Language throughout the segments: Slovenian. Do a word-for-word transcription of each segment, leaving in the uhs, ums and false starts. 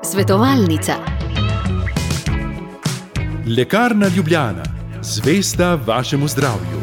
Svetovalnica. Lekarna Ljubljana, zvesta vašemu zdravju.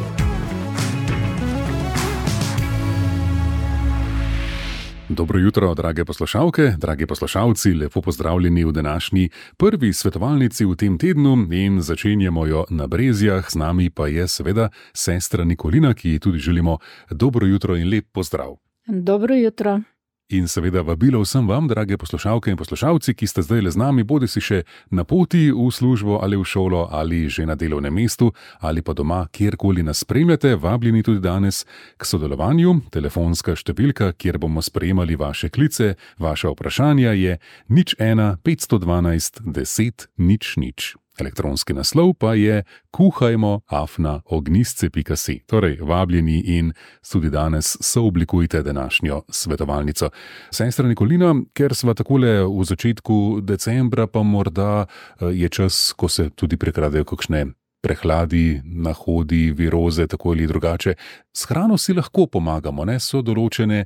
Dobro jutro, drage poslušalke, dragi poslušalci, lepo pozdravljeni v današnji prvi svetovalnici v tem tednu in začenjamo jo na Brezjah. Z nami pa je seveda sestra Nikolina, ki ji tudi želimo dobro jutro in lep pozdrav. Dobro jutro. In seveda vabilo vsem vam, drage poslušalke in poslušalci, ki ste zdaj le z nami, bodi si še na poti v službo ali v šolo ali že na delovnem mestu ali pa doma, kjerkoli nas spremljate, vabljeni tudi danes k sodelovanju. Telefonska številka, kjer bomo sprejemali vaše klice, vaša vprašanja je nič ena petsto dvanajst deset nič nič. Elektronski naslov pa je kuhajmo afna ognjisce pika si. Torej, vabljeni in tudi danes sooblikujte današnjo svetovalnico. Sestra Nikolina, ker sva takole v začetku decembra, pa morda je čas, ko se tudi prekradejo kakšne prehladi, nahodi, viroze, tako ali drugače. S hrano si lahko pomagamo, ne? So določene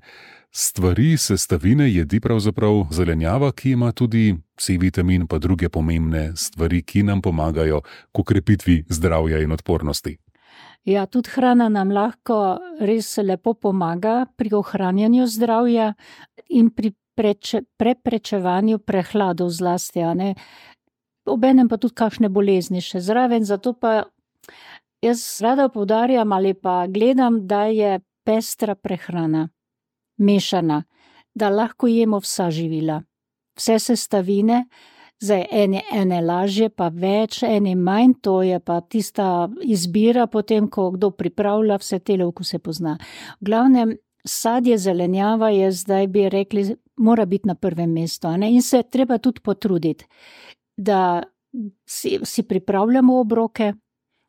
stvari, sestavine, jedi, pravzaprav zelenjava, ki ima tudi C-vitamin, pa druge pomembne stvari, ki nam pomagajo k okrepitvi zdravja in odpornosti. Ja, tudi hrana nam lahko res lepo pomaga pri ohranjanju zdravja in pri preče, preprečevanju prehladov zlasti, a ne. Obenem pa tudi kakšne bolezni še zraven, zato pa jaz rada poudarjam ali pa gledam, da je pestra prehrana, mešana, da lahko jemo vsa živila, vse sestavine, zdaj ene, ene lažje, pa več, ene manj, to je pa tista izbira potem, ko kdo pripravlja, vse tele okuse pozna. V glavnem, sadje, zelenjava je zdaj, bi rekli, mora biti na prvem mestu, a ne? In se treba tudi potruditi, da si, si pripravljamo obroke,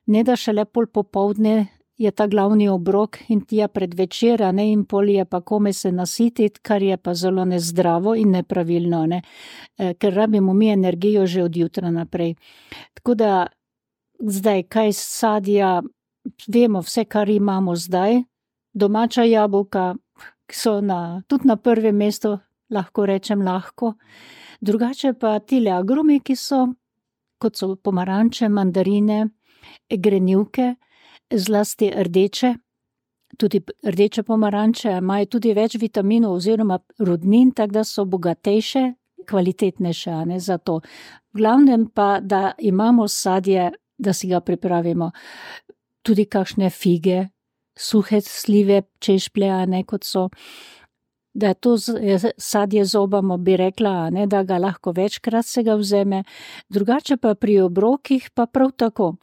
ne da šele pol popoldne je ta glavni obrok in tija pred večera, ne, in pol je pa kome se nasititi, kar je pa zelo nezdravo in nepravilno, ne, e, ker rabimo mi energijo že od jutra naprej. Tako da zdaj, kaj sadja, vemo vse, kar imamo zdaj, domača jabolka, ki so na, tudi na prvem mestu, lahko rečem lahko, drugače pa tile agrumi, ki so, kot so pomaranče, mandarine, grenivke, zlasti rdeče, tudi rdeče pomaranče imajo tudi več vitaminov oziroma rudnin, tako da so bogatejše, kvalitetnejše, a ne, za to. V glavnem pa, da imamo sadje, da si ga pripravimo. Tudi kakšne fige, suhe slive, češplje, a ne, kot so, da to sadje zobamo, bi rekla, a ne, da ga lahko večkrat se ga vzeme. Drugače pa pri obrokih pa prav tako,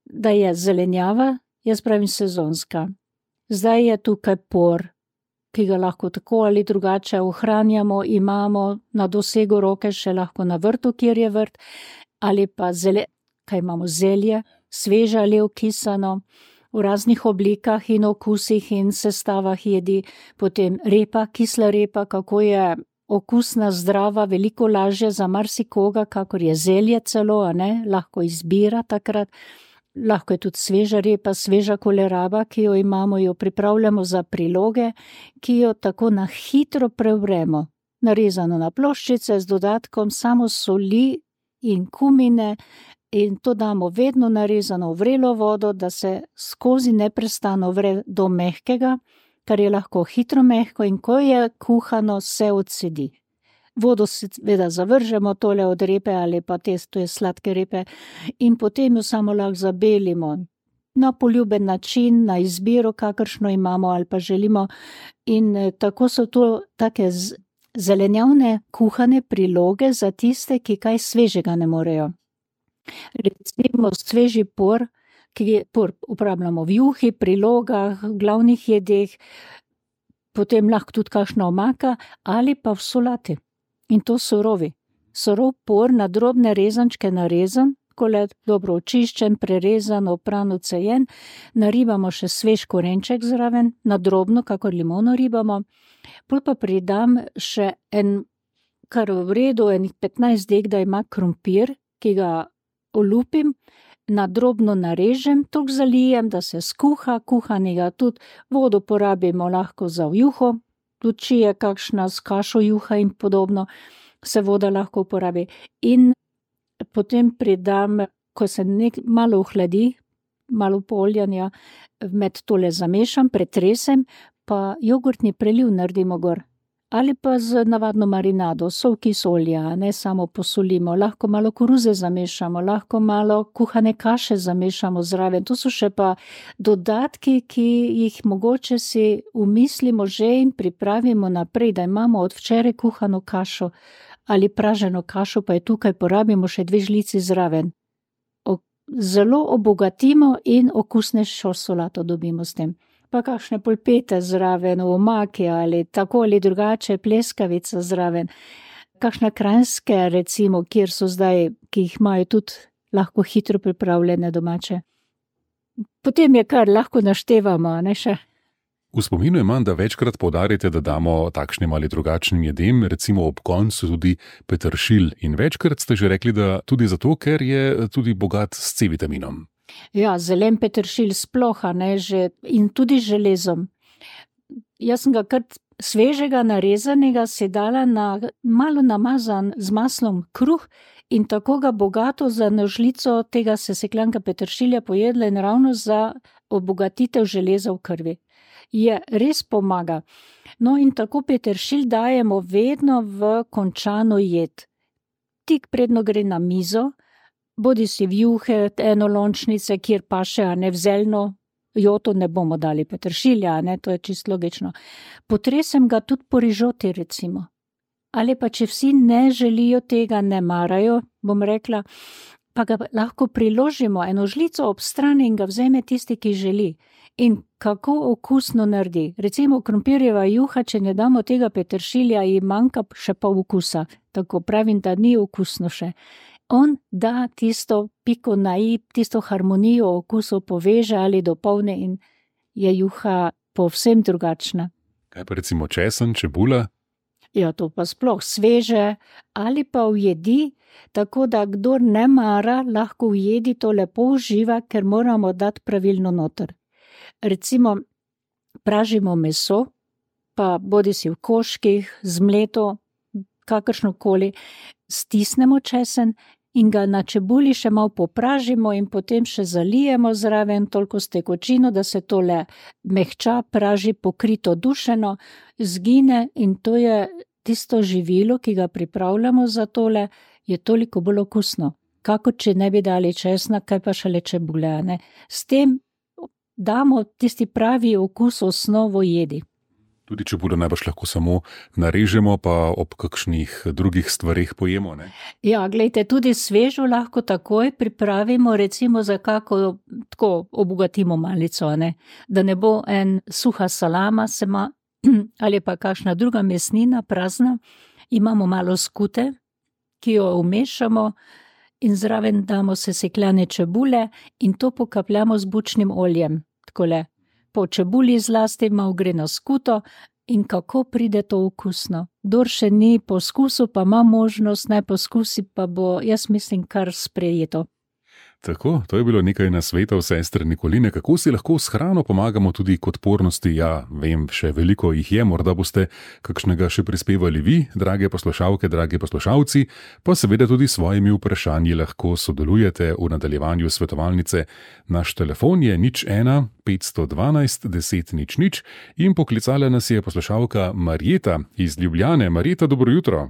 da je zelenjava, jaz pravim sezonska. Zdaj je tukaj por, ki ga lahko tako ali drugače ohranjamo, imamo na dosegu roke, še lahko na vrtu, kjer je vrt, ali pa zele, kaj imamo, zelje, sveže ali okisano, v raznih oblikah in okusih in sestavah jedi, potem repa, kisla repa, kako je okusna, zdrava, veliko lažje za marsikoga, kakor je zelje celo, a ne, lahko izbira takrat. Lahko je tudi sveža repa, sveža koleraba, ki jo imamo, jo pripravljamo za priloge, ki jo tako na hitro prevremo. Narezano na ploščice z dodatkom samo soli in kumine in to damo vedno narezano v vrelo vodo, da se skozi neprestano vre do mehkega, kar je lahko hitro mehko in ko je kuhano, se odsedi. Vodo seveda zavržemo, tole od repe ali pa te, to je sladke repe, in potem jo samo lahko zabelimo na poljuben način, na izbiro, kakršno imamo ali pa želimo. In tako so to take zelenjavne kuhane priloge za tiste, ki kaj svežega ne morejo. Recimo sveži por, ki por uporabljamo v juhi, prilogah, glavnih jedeh, potem lahko tudi kakšna omaka ali pa v solati. In to surovi. Surov por na drobne rezančke narezan, takole dobro očiščen, prerezan, opran, odcejen, naribamo še svež korenček zraven, na drobno, kakor limono ribamo, pol pa pridam še en, kar v redu, enih petnajst dek, da ima krompir, ki ga olupim, na drobno narežem, toliko zalijem, da se skuha, kuhanega tudi vodo porabimo lahko za v juho, tudi če je kakšna s kašo juha in podobno, se voda lahko uporabi. In potem pridam, ko se nek, malo ohladi, malo poljanja, med tole zamešam, pretresem, pa jogurtni preliv naredimo gor. Ali pa z navadno marinado, sol, kis olja, ne samo posolimo, lahko malo koruze zamešamo, lahko malo kuhane kaše zamešamo zraven. To so še pa dodatki, ki jih mogoče si umislimo že in pripravimo naprej, da imamo od včeraj kuhano kašo ali praženo kašo, pa je tukaj porabimo še dve žlici zraven. O, zelo obogatimo in okusnejšo solato dobimo s tem. Pa kakšne polpete zraven, omake ali tako ali drugače, pleskavica zraven. Kakšne kranjske, recimo, kjer so zdaj, ki jih imajo tudi lahko hitro pripravljene domače. Potem je kar lahko naštevamo, ne še. V spominu imam, da večkrat poudarite, da damo takšnim ali drugačnim jedem, recimo ob koncu tudi peteršilj. In večkrat ste že rekli, da tudi zato, ker je tudi bogat s C-vitaminom. Ja, zelen peteršilj sploh, ne, že, in tudi železom. Jaz sem ga kar svežega narezanega si dala na malo namazan z maslom kruh in tako ga bogato za nožlico tega sesekljanka peteršilja pojedla in ravno za obogatitev železa v krvi. Je res pomaga. No in tako peteršilj dajemo vedno v končano jed. Tik predno gre na mizo, bodi si v juhe, enolončnice, kjer pa še, a ne v zeljno joto ne bomo dali peteršilja, ne, to je čisto logično. Potresem ga tudi po rižoti, recimo. Ali pa če vsi ne želijo tega, ne marajo, bom rekla, pa ga lahko priložimo eno žlico ob strani in ga vzeme tisti, ki želi. In kako okusno naredi. Recimo krompirjeva juha, če ne damo tega peteršilja, ji manjka še pol okusa. Tako pravim, da ni okusno še. On da tisto piko na i, tisto harmonijo okusov poveže ali dopolni in je juha povsem drugačna. Kaj pa recimo česen, čebula? Ja, to pa sploh sveže ali pa v jedi, tako da kdor ne mara, lahko v jedi to lepo uživa, ker moramo dati pravilno noter. Recimo pražimo meso, pa bodi si v koških, zmleto, kakršnokoli, stisnemo česen in ga na čebuli še malo popražimo in potem še zalijemo zraven toliko s tekočino, da se tole mehča, praži, pokrito, dušeno, zgine in to je tisto živilo, ki ga pripravljamo za tole, je toliko bolj okusno. Kako če ne bi dali česna, kaj pa šele čebule, ne? S tem damo tisti pravi okus, osnovo jedi. Tudi čebulo najbrž lahko samo narežemo, pa ob kakšnih drugih stvarih pojemo, ne? Ja, glejte, tudi svežo lahko takoj pripravimo, recimo za kako, tako obogatimo malico, ne? Da ne bo en suha salama sema, ali pa kakšna druga mesnina prazna, imamo malo skute, ki jo umešamo in zraven damo sesekljane čebule in to pokapljamo z bučnim oljem, takole. Po čebuli zlasti malo gre na skuto in kako pride to okusno. Kdor še ni poskusil, pa ima možnost, naj poskusi, pa bo, jaz mislim, kar sprejeto. Tako, to je bilo nekaj nasvetov sestre Nikoline, kako si lahko s hrano pomagamo tudi k odpornosti. Ja, vem, še veliko jih je, morda boste kakšnega še prispevali vi, drage poslušalke, dragi poslušalci, pa seveda tudi s svojimi vprašanji lahko sodelujete v nadaljevanju svetovalnice. Naš telefon je nič ena petsto dvanajst deset nič nič in poklicala nas je poslušalka Marjeta iz Ljubljane. Marjeta, dobro jutro.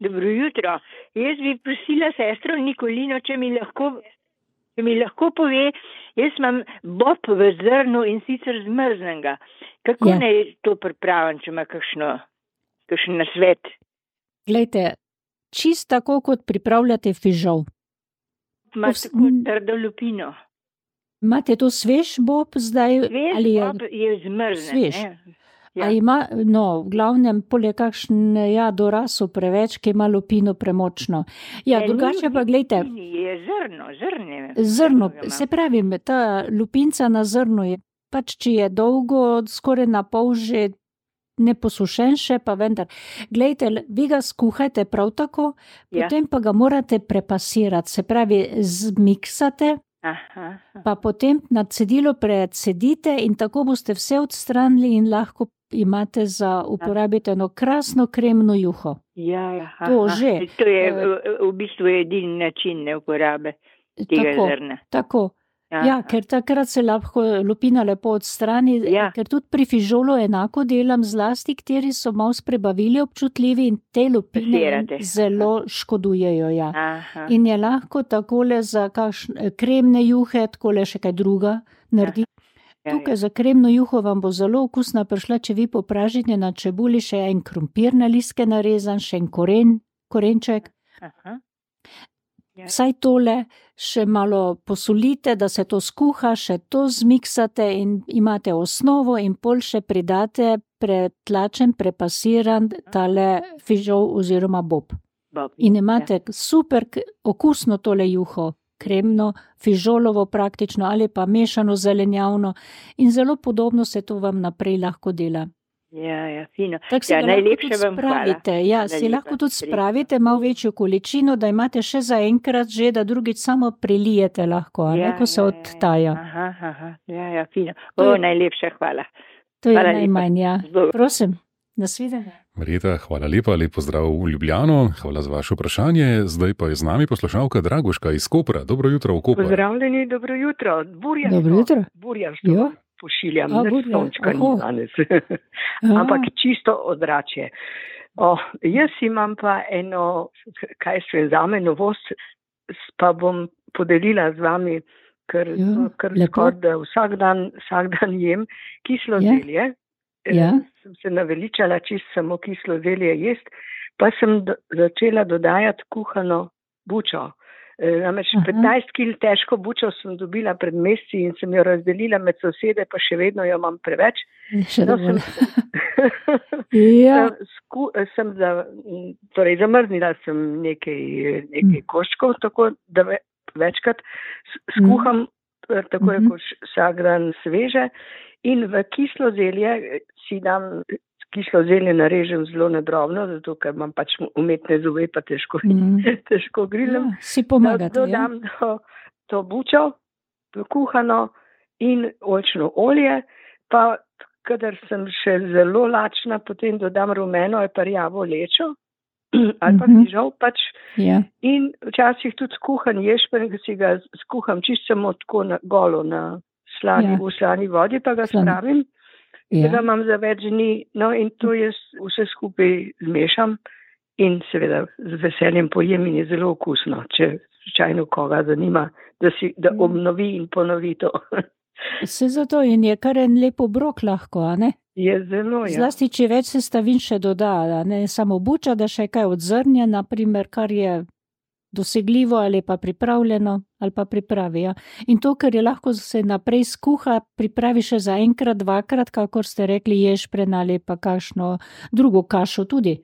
Dobro jutro. Jaz bi prosila sestro Nikolino, če mi lahko Če mi lahko pove, jaz imam bob v zrnu in sicer zmrznenega. Kako ja. Naj to pripravim, če ima kakšno, kakšen nasvet? Glejte, čist tako, kot pripravljate fižol. Ima Pos... tako trdo lupino. Imate to svež bob zdaj? Svež ali je... bob je zmrzen. Svež. Ne? Ja. A ima, no, v glavnem, polje kakšen, ja, doraso preveč, ki ima lupino premočno. Ja, ja drugače pa, glejte. Je zrno, zrne. Zrno, se pravi, ta lupinca na zrnu je, pač, če je dolgo, skoraj na pol že neposušen še, pa vendar. Glejte, vi ga skuhajte prav tako, ja. Potem pa ga morate prepasirati, se pravi, zmiksate. Aha, aha. Pa potem na cedilo precedite in tako boste vse odstranili in lahko imate za uporabiti eno krasno kremno juho. Ja, ja. To aha. že. To je v, v bistvu edini način ne uporabe tega Tako, zrna. tako. Aha. Ja, ker takrat se lahko lupina lepo odstrani, Ja. ker tudi pri fižolu enako delam, zlasti, kateri so malo s prebavili občutljivi in te lupine Pasirate. zelo škodujejo. Ja. Aha. In je lahko takole za kakšne kremne juhe, takole še kaj druga naredi. Ja, Tukaj za kremno juho vam bo zelo okusna prišla, če vi popražite na čebuli še en krompir na listke narezan, še en koren, korenček. Aha. Ja. Vsaj tole še malo posolite, da se to skuha, še to zmiksate in imate osnovo in pol še pridate pretlačen, prepasiran tale fižol oziroma bob. Bob, In ja. imate super k- okusno tole juho, kremno, fižolovo praktično ali pa mešano zelenjavno in zelo podobno se to vam naprej lahko dela. Ja, ja, fino. Tako si Ja, ga lahko najlepše tudi vam hvala. spravite. Ja, Hvala si lepa, lahko tudi res. spravite malo večjo količino, da imate še za enkrat že, da drugič samo prelijete lahko, a ne, ko se odtaja. Aha, aha, ja, ja, fino. To O, je- najlepša hvala. To je Hvala lepa. najmanj, ja. Zbog. Prosim, nasvidenje. Marjeta, hvala lepa, lep pozdrav v Ljubljano, hvala za vaše vprašanje. Zdaj pa je z nami poslušalka Dragoška iz Kopra. Dobro jutro v Koper. Pozdravljeni, dobro jutro. Burja Dobro jutro. Burja Jo. pošiljam, A, ne burja, sončka ni oho. danes, A, ampak čisto ozračje. O, jaz imam pa eno, kaj se zame novost, s- pa bom podelila z vami, ker, Ja, ker lepo. skoraj da vsak dan, vsak dan jem kislo Ja. zelje. Eh, Ja. Sem se naveličala čist samo kislo zelje jest, pa sem do, začela dodajati kuhano bučo. Eh, Namreč Aha. petnajst kil težko bučo sem dobila pred meseci in sem jo razdelila med sosede, pa še vedno jo imam preveč. še No, dovolj. sem, Ja, sem, sku, sem za, torej zamrznila sem nekaj, nekaj Mm. koščkov, tako da ve, večkrat s- skuham, eh, tako je Mhm. kot vsak dan sveže in v kislo zelje eh, si dam, kislo zelje narežem zelo na drobno, zato ker imam pač umetne zobe, pa težko, Mm. težko grilem. ja, si pomagate, ja. Dodam to, to bučo, to kuhano in oljčno olje, pa kadar sem še zelo lačna, potem dodam rumeno ali pa rjavo lečo ali pa Mhm. fižol pač Ja, in včasih tudi skuhan ješprenj, ki si ga skuham čisto samo tako na golo na slani, Ja. v slani vodi, pa ga Slani. spravim, da ga ja. imam za več dni, no in to jaz vse skupaj zmešam in seveda z veseljem pojem in je zelo okusno, če slučajno koga zanima, da, si, da Ja. obnovi in ponovi to. Se zato in je kar en lep obrok lahko, a ne? Je zelo, ja. Zlasti, če več sestavin še doda, a ne samo buča, da še kaj od zrnja, naprimer, kar je dosegljivo ali pa pripravljeno ali pa pripravi. Ja. In to, ker je lahko se naprej skuha, pripravi še za enkrat, dvakrat, kakor ste rekli, ješprenj ali pa kakšno drugo kašo tudi.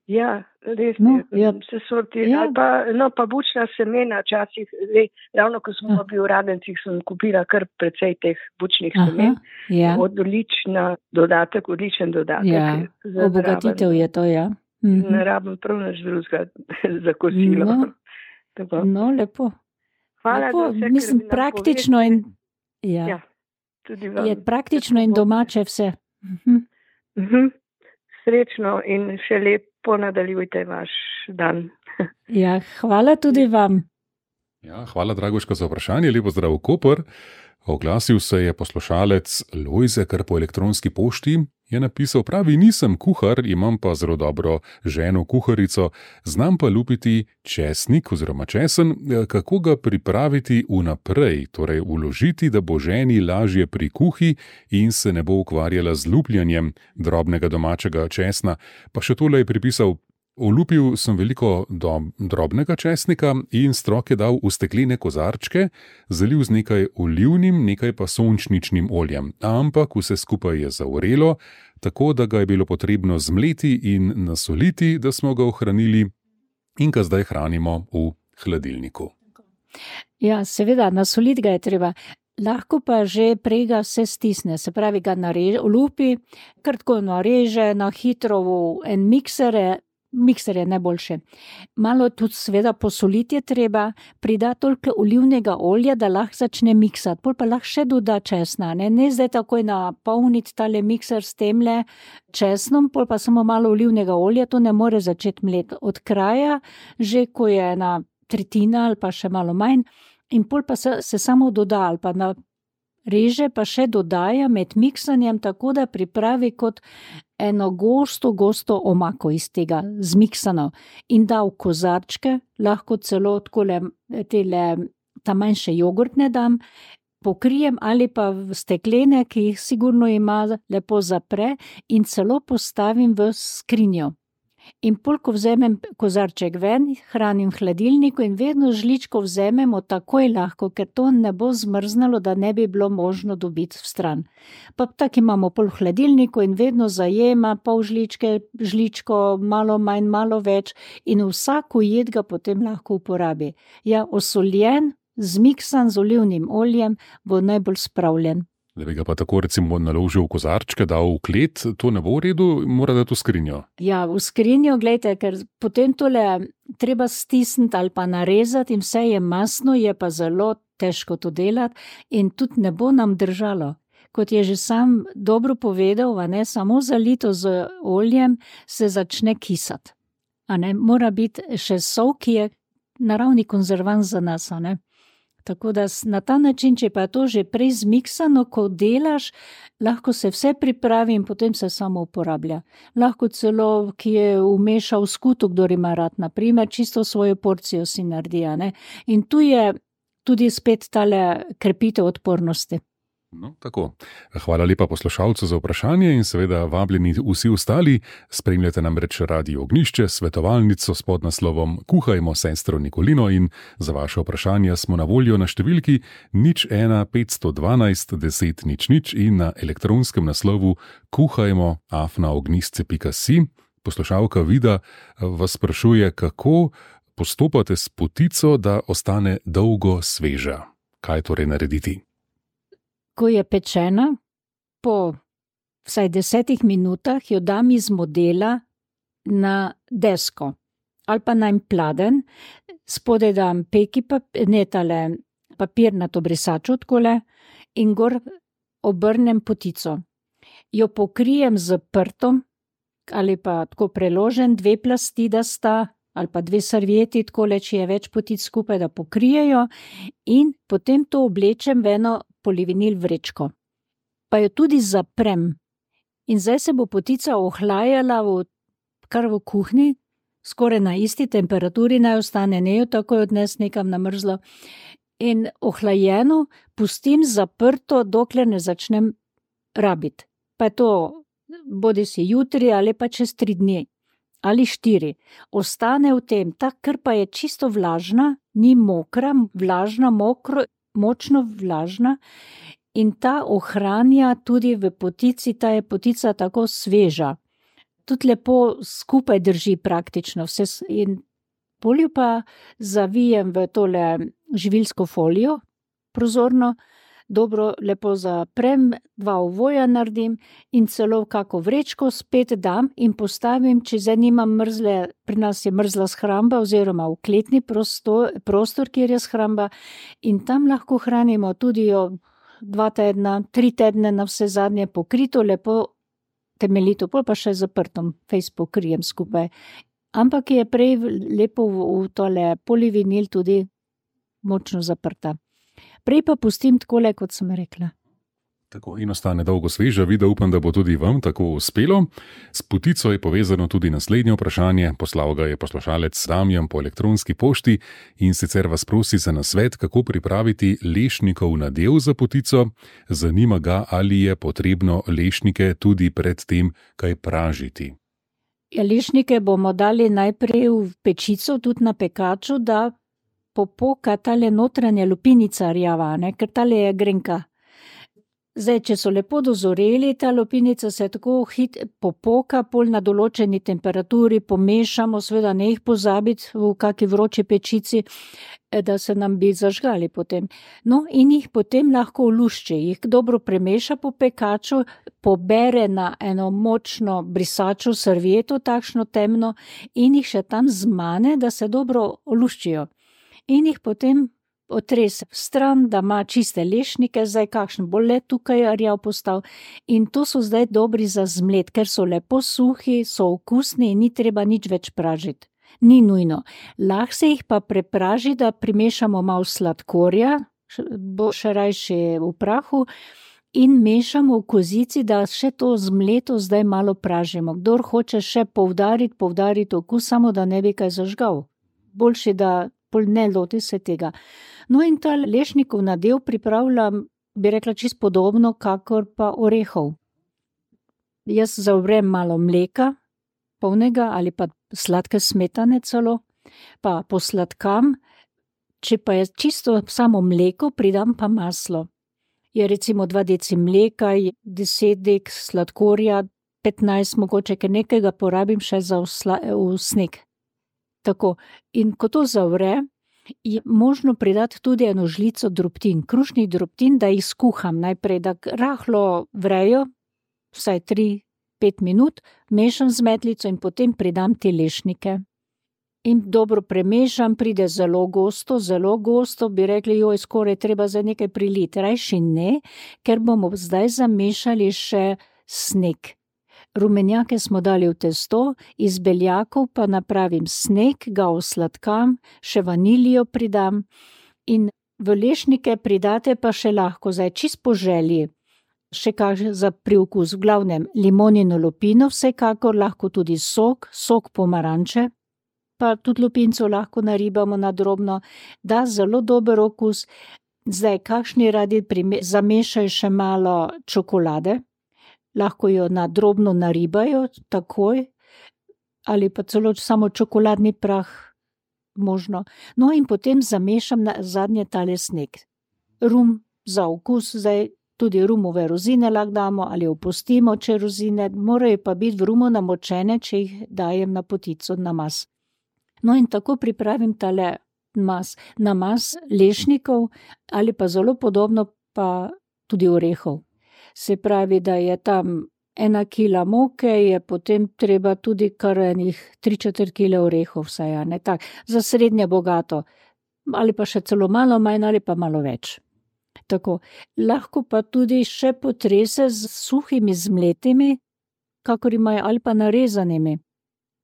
Ja, res No, je, ja. se sorti, Ja. ali pa, no, pa bučna semena, včasih, zdaj, ravno ko smo Ah. bili v Radencih, sem kupila kar precej teh bučnih semen. Aha, ja, Odlična dodatek, odličen dodatek. ja. za Obogatitev zraven. je to, ja. Mhm. Ne rabim prav nič drugega za kosilo. No. Tako. No, lepo. Hvala lepo. za vse, Mislim, kar mi praktično napoveste. in, ja, Ja, tudi vam. je praktično in domače vse. Mhm. Mhm. Srečno in še lepo nadaljujte vaš dan. Ja, hvala tudi vam. Ja, hvala, Dragoška, za vprašanje. Lepo zdrav v Koper. Oglasil se je poslušalec Lojze, kar po elektronski pošti je napisal: pravi, nisem kuhar, imam pa zelo dobro ženo kuharico, znam pa lupiti česnik oziroma česen, kako ga pripraviti vnaprej, torej uložiti, da bo ženi lažje pri kuhi in se ne bo ukvarjala z lupljanjem drobnega domačega česna. Pa še tole je pripisal: olupil sem veliko do, drobnega česnika in strok je dal v steklene kozarčke, zalil z nekaj olivnim, nekaj pa sončničnim oljem. Ampak vse skupaj je zavrelo, tako da ga je bilo potrebno zmleti in nasoliti, da smo ga ohranili in ga zdaj hranimo v hladilniku. Ja, seveda, nasoliti ga je treba. Lahko pa že prej ga vse stisne, se pravi, ga nareže, olupi, kar tako nareže na hitro v en mikser, mikser je najboljše. Malo tudi seveda posoliti je treba, prida toliko olivnega olja, da lahko začne miksati, pol pa lahko še doda česna, ne, ne zdaj takoj napolniti tale mikser s temle česnom, pol pa samo malo olivnega olja, to ne more začeti mleti. Od kraja, že ko je ena tretjina ali pa še malo manj, in pol pa se, se samo doda ali pa na reže pa še dodaja med miksanjem, tako da pripravi kot eno gosto, gosto omako iz tega zmiksano in da v kozarčke, lahko celo takole tele, ta manjše jogurtne dam, pokrijem ali pa v steklene, ki jih sigurno ima, lepo zapre in celo postavim v skrinjo. In pol, ko vzemem kozarček ven, hranim v hladilniku in vedno žličko vzememo takoj lahko, ker to ne bo zmrznalo, da ne bi bilo možno dobiti v stran. Pa tak imamo pol v hladilniku in vedno zajema pol žličke, žličko, malo manj, malo več in vsako jed ga potem lahko uporabi. Ja, osoljen, zmiksan z olivnim oljem bo najbolj spravljen. Da bi ga pa tako recimo naložil v kozarčke, dal v klet, to ne bo v redu, mora dati v skrinjo. Ja, v skrinjo, gledajte, ker potem tole treba stisniti ali pa narezati in vse je masno, je pa zelo težko to delati in tudi ne bo nam držalo. Kot je že sam dobro povedal, a ne, samo zalito z oljem se začne kisati. A ne, mora biti še sol, ki je naravni konzervans za nas, a ne. Tako da na ta način, če pa je to že prej zmiksano, ko delaš, lahko se vse pripravi in potem se samo uporablja. Lahko celo, ki je vmešal skuto, kdor ima rad, naprimer, čisto svojo porcijo si naredi, ne. In tu je tudi spet tale krepitev odpornosti. No, tako. Hvala lepa poslušalcu za vprašanje in seveda vabljeni vsi ostali. Spremljate namreč Radio Ognjišče, svetovalnico s podnaslovom Kuhajmo sestro Nikolino in za vaše vprašanja smo na voljo na številki nič ena petsto dvanajst deset nič nič in na elektronskem naslovu kuhajmo afna ognjisce pika si. Poslušalka Vida vas sprašuje, kako postopate s potico, da ostane dolgo sveža. Kaj torej narediti? Ko je pečena, po vsaj desetih minutah jo dam iz modela na desko ali pa na en pladen, spodaj dam peki papir, ne tale papirnato brisačo takole in gor obrnem potico. Jo pokrijem z prtom ali pa tako preložen, dve plasti, da sta, ali pa dve servieti, takole, če je več potic skupaj, da pokrijejo in potem to oblečem v eno polivinil vrečko. Pa jo tudi zaprem. In zdaj se bo potica ohlajala v, kar v kuhinji, skoraj na isti temperaturi naj ostane, ne jo takoj odnes nekam na mrzlo. In ohlajeno pustim zaprto, dokler ne začnem rabiti. Pa je to bodi si jutri ali pa čez tri dni. Ali štiri. Ostane v tem, ta krpa je čisto vlažna, ni mokra, vlažna, mokro, močno vlažna in ta ohranja tudi v potici, ta je potica tako sveža. Tudi lepo skupaj drži praktično vse in polju pa zavijem v tole živilsko folijo, prozorno, dobro, lepo zaprem, dva ovoja naredim in celo kako vrečko spet dam in postavim, če zdaj nimam mrzle, pri nas je mrzla shramba oziroma v kletni prostor, prostor, kjer je shramba in tam lahko hranimo tudi jo dva tedna, tri tedne na vse zadnje pokrito, lepo temeljito, pol pa še zaprtom, fejs pokrijem skupaj. Ampak je prej lepo v, v tole polivinil tudi močno zaprta. Prej pa pustim takole, kot sem rekla. Tako in ostane dolgo sveža, Vida, upam, da bo tudi vam tako uspelo. S potico je povezano tudi naslednje vprašanje, poslal ga je poslušalec Damjan po elektronski pošti in sicer vas prosi za nasvet, kako pripraviti lešnikov nadev za potico. Zanima ga, ali je potrebno lešnike tudi pred tem kaj pražiti. Ja, lešnike bomo dali najprej v pečico, tudi na pekaču, da popoka tale notranja lupinica rjava, ne, ker tale je grenka. Zdaj, če so lepo dozoreli, ta lupinica se tako hit popoka, pol na določeni temperaturi pomešamo, seveda ne jih pozabiti v kaki vroči pečici, da se nam bi zažgali potem. No, in jih potem lahko olušči, jih dobro premeša po pekaču, pobere na eno močno brisačo servieto, takšno temno, in jih še tam zmane, da se dobro oluščijo. In jih potem otrese v stran, da ima čiste lešnike, zdaj kakšen bo le tukaj rjav postal. In to so zdaj dobri za zmlet, ker so lepo suhi, so okusni in ni treba nič več pražiti. Ni nujno. Lahko se jih pa prepraži, da primešamo malo sladkorja, bo še rajši v prahu, in mešamo v kozici, da še to zmleto zdaj malo pražimo. Kdor hoče še poudariti, poudariti okus, samo da ne bi kaj zažgal. Boljši, da pol ne loti se tega. No, in ta lešnikov nadev pripravljam, bi rekla, čisto podobno, kakor pa orehov. Jaz zavrem malo mleka, polnega ali pa sladke smetane celo, pa posladkam, če pa je čisto samo mleko, pridam pa maslo. Je recimo dva deci mleka, deset dek sladkorja, petnajst mogoče, ker nekega porabim še za v, v sneg. Tako, in ko to zavre, je možno pridati tudi eno žlico drobtin, krušnih drobtin, da jih skuham najprej, da rahlo vrejo, vsaj tri, pet minut, mešam z metlico in potem pridam te lešnike. In dobro premešam, pride zelo gosto, zelo gosto, bi rekli, joj, skoraj treba za nekaj priliti. Rajši ne, ker bomo zdaj zamešali še sneg. Rumenjake smo dali v testo, iz beljakov pa napravim sneg, ga osladkam, še vanilijo pridam in v lešnike pridate pa še lahko, zdaj čist po želji, še kak za priokus, v glavnem limonino lupino, vsekakor lahko tudi sok, sok pomaranče, pa tudi lupinco lahko naribamo na drobno, da zelo dober okus. Zdaj, kakšni radi prime, zamešaj še malo čokolade, lahko jo na drobno naribajo takoj, ali pa celo samo čokoladni prah možno. No, in potem zamešam na zadnje tale sneg. Rum za okus, zdaj tudi rumove rozine lahko damo ali opustimo, če rozine, morajo pa biti v rumu namočene, če jih dajem na potico na mas. No, in tako pripravim tale mas, namaz lešnikov ali pa zelo podobno pa tudi orehov. Se pravi, da je tam ena kila moke, je potem treba tudi kar enih tri četrt kile orehov vsaj, ne tak, za srednje bogato, ali pa še celo malo manj ali pa malo več. Tako, lahko pa tudi še potrese z suhimi zmletimi, kakor imajo, ali pa narezanimi.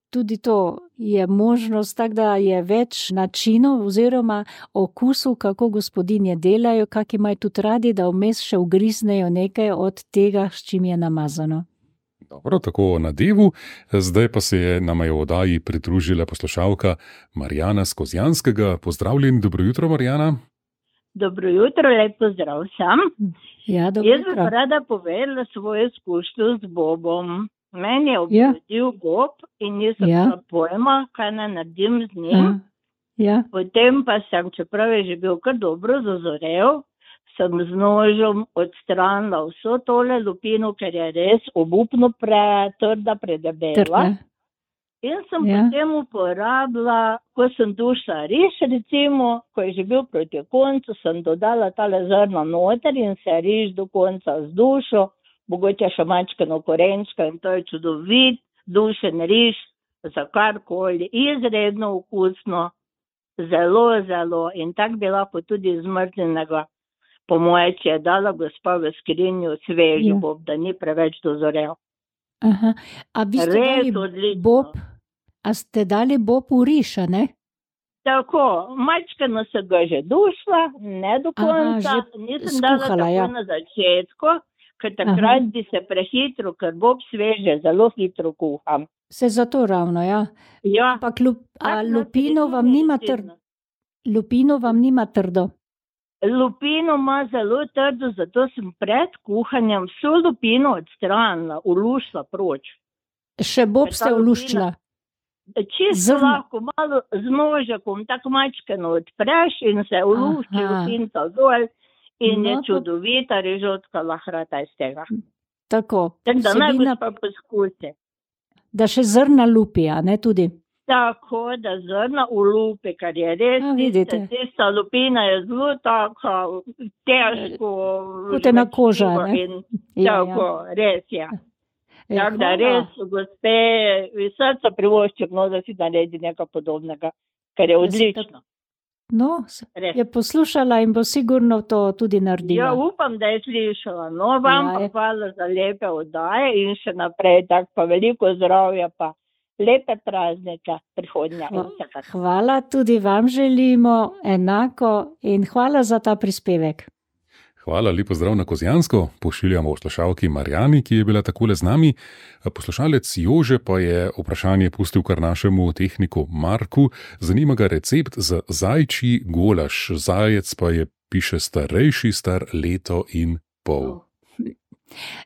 Tudi to je možnost, tako da je več načinov oziroma okusov, kako gospodinje delajo, kak imajo tudi radi, da vmes še ugriznejo nekaj od tega, s čim je namazano. Dobro, tako o nadevu. Zdaj pa se je nama je v oddaji pridružila poslušalka Marjana z Kozjanskega. Pozdravljen, dobro jutro, Marjana. Dobro jutro, lep pozdrav vsem. Ja, dobro Jaz jutro. bi rada povedala svojo izkušnjo z bobom. Meni je obrodil ja. bob in nisem Ja. imela pojma, kaj naj naredim z njim. Ja. Ja. Potem pa sem, čeprav je že bil kar dobro zazorel, sem z nožem odstranila vso tole lupino, ker je res obupno pretrda, predebela. Trda. In sem Ja. potem uporabila, ko sem dušila riž, recimo, ko je že bil proti koncu, sem dodala tale zrna noter in se riž do konca zdušil, mogoče še mačkano korenčka in to je čudovit, dušen riž, za karkoli, izredno okusno, zelo, zelo in tak bi lahko tudi zmrznjenega, po moje, če je dala gospa v skrinju sveži Ja. bob, da ni preveč dozorel. Aha. A vi ste Res dali odlično. bob, a ste dali bob v riž, a ne? Tako, mačkano se ga že dušila, ne do Aha, konca, že nisem dala skuhala, tako ja. na začetku, ker takrat Aha. bi se prehitro, ker bob sveže, zelo hitro kuham. Se zato ravno, ja. Ja, Ampak lup, a tak lupino način vam je nima resnično. trdo? Lupino vam nima trdo? Lupino ima zelo trdo, zato sem pred kuhanjem vso lupino odstranila, ulušila proč. Še bob Ker ta ste lupina- oluščila? Čisto Zrna- lahko, malo z nožakom, tako mačkano odpreš in se ulušči Aha. lupinca dol in No, je to- čudovita rižotka lahrata iz tega. Tako, Tako da naj vsebina, gospa poskusi. da še zrna lupi, a ne tudi. Tako, da zrna ulupi, kar je res, A, vidite. tista, tista lupina je zelo tako težko. Kot ena koža, žvečljivo ne? in Ja, Tako, res je. E, Tako da hvala. res, gospe, iz srca privoščim, no, da si naredi nekaj podobnega, kar je Da si odlično. No, s- Res. je poslušala in bo sigurno to tudi Ja, naredila. upam, da je slišala. No, vam Ja, pa je. hvala za lepe oddaje in še naprej, tako pa veliko zdravja, pa lepe praznike prihodnja. Hva- Hvala, tudi vam želimo enako in hvala za ta prispevek. Hvala, lepo zdrav na Kozjansko. Pošiljamo poslušalki Marjani, ki je bila takole z nami. Poslušalec Jože pa je vprašanje pustil kar našemu tehniku Marku. Zanima ga recept za zajčji golaž. Zajec pa je, piše, starejši, star leto in pol.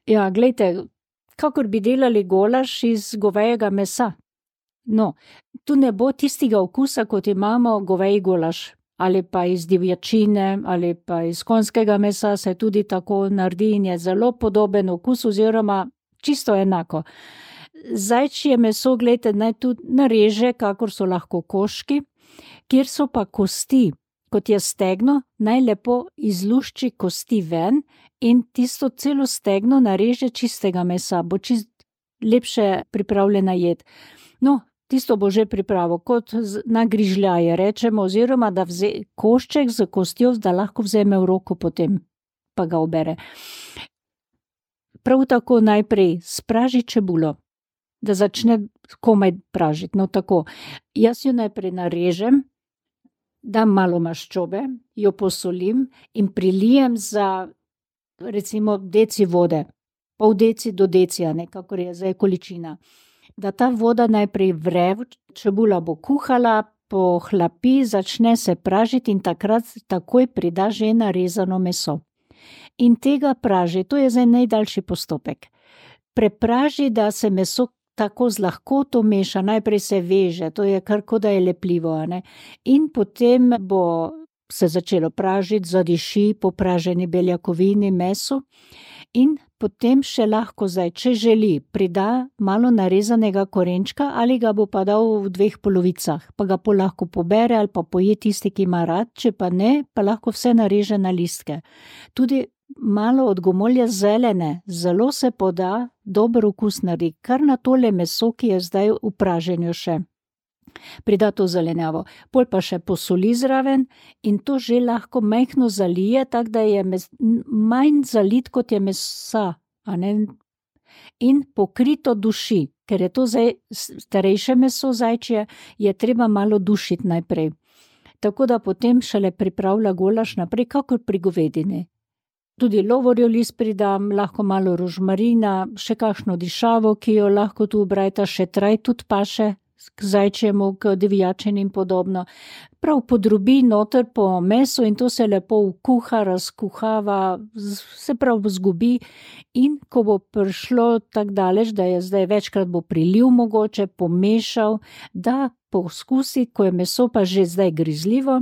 Ja, glejte, kakor bi delali golaž iz govejega mesa. No, tu ne bo tistega okusa, kot imamo goveji golaž. Ali pa iz divjačine, ali pa iz konjskega mesa se tudi tako naredi in je zelo podoben okus oziroma čisto enako. Zajčje meso, gledajte, naj tudi nareže, kakor so lahko koški, kjer so pa kosti, kot je stegno, naj lepo izlušči kosti ven in tisto celo stegno nareže čistega mesa, bo čist lepše pripravljena jed. No, tisto bo že pripravo, kot z- na grižljaje rečemo, oziroma da vze košček z kostjo, da lahko vzeme v roko potem, pa ga obere. Prav tako najprej spraži čebulo, da začne komaj pražiti. No, tako. Jaz jo najprej narežem, dam malo maščobe, jo posolim in prilijem za recimo deci vode, pol deci do decija, nekako je zdaj količina. Da ta voda najprej vre, čebula bo kuhala, pohlapi, začne se pražiti in takrat takoj prida že narezano meso. In tega praži, to je zdaj najdaljši postopek. Prepraži, da se meso tako z lahkoto meša, najprej se veže, to je kar kot da je lepljivo, a ne. In potem bo se začelo pražiti, zadiši po praženi beljakovini, mesu in potem še lahko zdaj, če želi, prida malo narezanega korenčka ali ga bo pa dal v dveh polovicah, pa ga pol lahko pobere ali pa poje tisti, ki ima rad, če pa ne, pa lahko vse nareže na listke. Tudi malo od gomolja zelene, zelo se poda, dober okus naredi, kar na tole meso, ki je zdaj v praženju še. Prida to zelenjavo, pol pa še posoli zraven in to že lahko majhno zalije, tako da je mes, manj zalit, kot je mesa, a ne? In pokrito duši, ker je to zdaj starejše meso zajčje, je treba malo dušiti najprej. Tako da potem šele pripravlja golaž naprej, kakor pri govedini. Tudi lovorjev list pridam, lahko malo rožmarina, še kakšno dišavo, ki jo lahko tu ubrajta, še traj tudi paše, k zajčjemu, k divjačini in podobno. Prav podrobi noter po mesu in to se lepo vkuha, razkuhava, se prav zgubi in ko bo prišlo tako daleč, da je zdaj večkrat bo prilil mogoče, pomešal, da poskusi, ko je meso pa že zdaj grizljivo,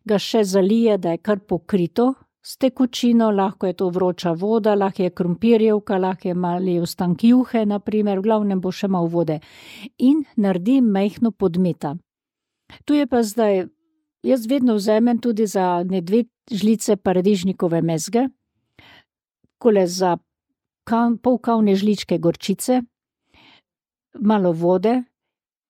ga še zalije, da je kar pokrito s tekočino, lahko je to vroča voda, lahko je krompirjevka, lahko je mali ostank juhe, na primer, v glavnem bo še malo vode. In naredi majhno podmeta. Tu je pa zdaj, jaz vedno vzamem tudi za ne dve žlice paradižnikove mezge, kole za kav, pol kavne žličke gorčice, malo vode,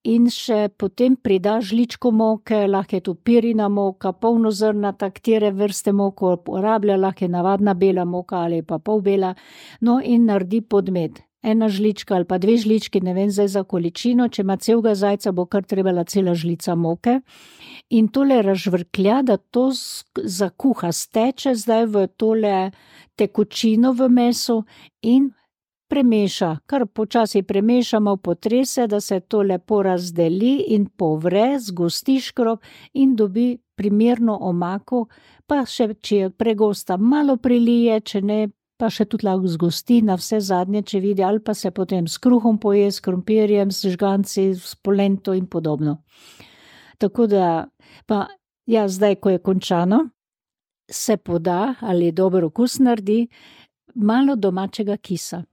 in še potem prida žličko moke, lahko je to pirina moka, polnozrnata, katere vrste moko uporablja, lahko je navadna bela moka ali pa polbela, no in naredi podmet. Ena žlička ali pa dve žlički, ne vem zdaj za količino, če ima celega zajca, bo kar trebala cela žlica moke. In tole razžvrklja, da to zakuha, steče zdaj v tole tekočino v mesu in premeša, kar počasi premešamo, potrese, da se to lepo razdeli in povre, zgosti škrob in dobi primerno omako, pa še, če je pregosta, malo prilije, če ne, pa še tudi lahko zgosti na vse zadnje, če vidi, ali pa se potem s kruhom poje, s krompirjem, s žganci, s polento in podobno. Tako da, pa ja, zdaj, ko je končano, se poda ali dober okus naredi malo domačega kisa.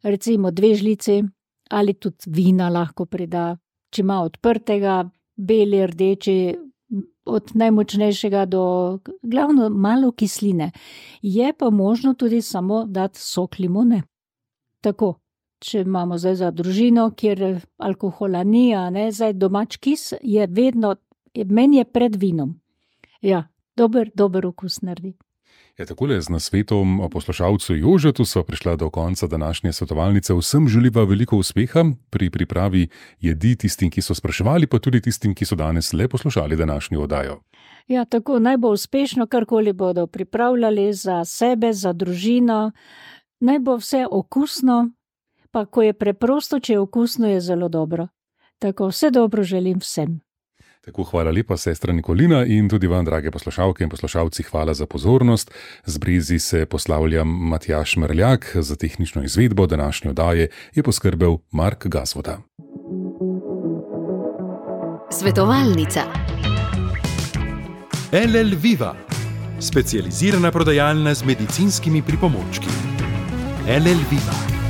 Recimo dve žlici ali tudi vina lahko prida, če ima odprtega, beli, rdeči, od najmočnejšega do glavno malo kisline. Je pa možno tudi samo dati sok limone. Tako, če imamo zdaj za družino, kjer alkohola ni, a ne, zdaj domač kis je vedno, meni je pred vinom. Ja, dober, dober okus naredi. Ja, takole z nasvetom poslušalcu Jožetu sva prišla do konca današnje svetovalnice. Vsem želiva veliko uspeha pri pripravi jedi tistim, ki so spraševali, pa tudi tistim, ki so danes le poslušali današnjo oddajo. Ja, tako naj bo uspešno, karkoli bodo pripravljali za sebe, za družino. Naj bo vse okusno, pa ko je preprosto, če je okusno, je zelo dobro. Tako vse dobro želim vsem. Tako, hvala lepa, sestra Nikolina, in tudi vam, drage poslušalke in poslušalci, hvala za pozornost. Z Brezi se poslavljam Matjaž Merljak, za tehnično izvedbo današnje oddaje je poskrbel Mark Gazvoda. Svetovalnica. el el Viva, specializirana prodajalna z medicinskimi pripomočki. el el Viva.